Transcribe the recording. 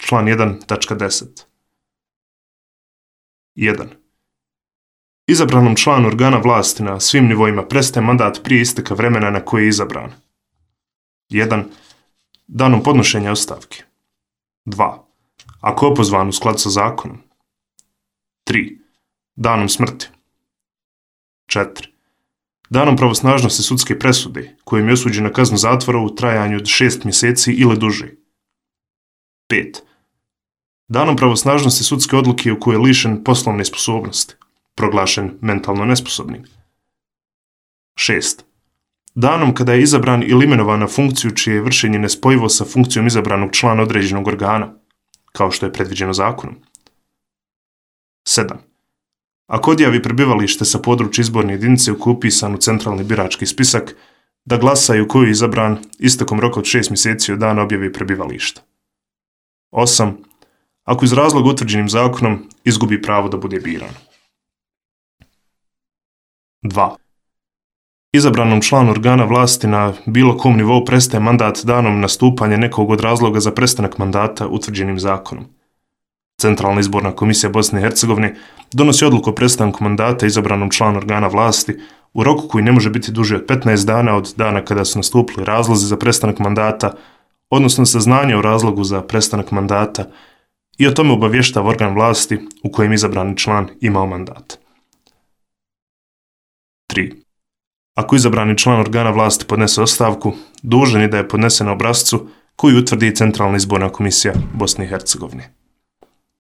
član 1.10. 1. Izabranom članu organa vlasti na svim nivoima prestaje mandat prije isteka vremena na koje je izabran. 1. Danom podnošenja ostavke. 2. Ako je opozvan u skladu sa zakonom. 3. Danom smrti. 4. Danom pravosnažnosti sudske presude kojim je osuđen na kaznu zatvora u trajanju od 6 mjeseci ili duže. 5. Danom pravosnažnosti sudske odluke u kojoj je lišen poslovne sposobnosti, proglašen mentalno nesposobnim. 6. Danom kada je izabran ili imenovan na funkciju čije je vršenje nespojivo sa funkcijom izabranog člana određenog organa, kao što je predviđeno zakonom. 7. Ako odjavi prebivalište sa područja izborne jedinice u kojoj je upisan u centralni birački spisak, da glasa i u kojoj je izabran istekom roka od 6 mjeseci od dana objave prebivališta. 8. Ako iz razloga utvrđenim zakonom izgubi pravo da bude biran. 2. Izabranom članu organa vlasti na bilo kom nivou prestaje mandat danom nastupanja nekog od razloga za prestanak mandata utvrđenim zakonom. Centralna izborna komisija Bosne i Hercegovine donosi odluku o prestanku mandata izabranom članu organa vlasti u roku koji ne može biti duži od 15 dana od dana kada su nastupili razlozi za prestanak mandata, odnosno saznanje o razlogu za prestanak mandata i o tome obavještava organ vlasti u kojem izabrani član imao mandat. 3. Ako izabrani član organa vlasti podnese ostavku, dužan je da je podnese na obrascu koji utvrdi Centralna izborna komisija Bosne i Hercegovine.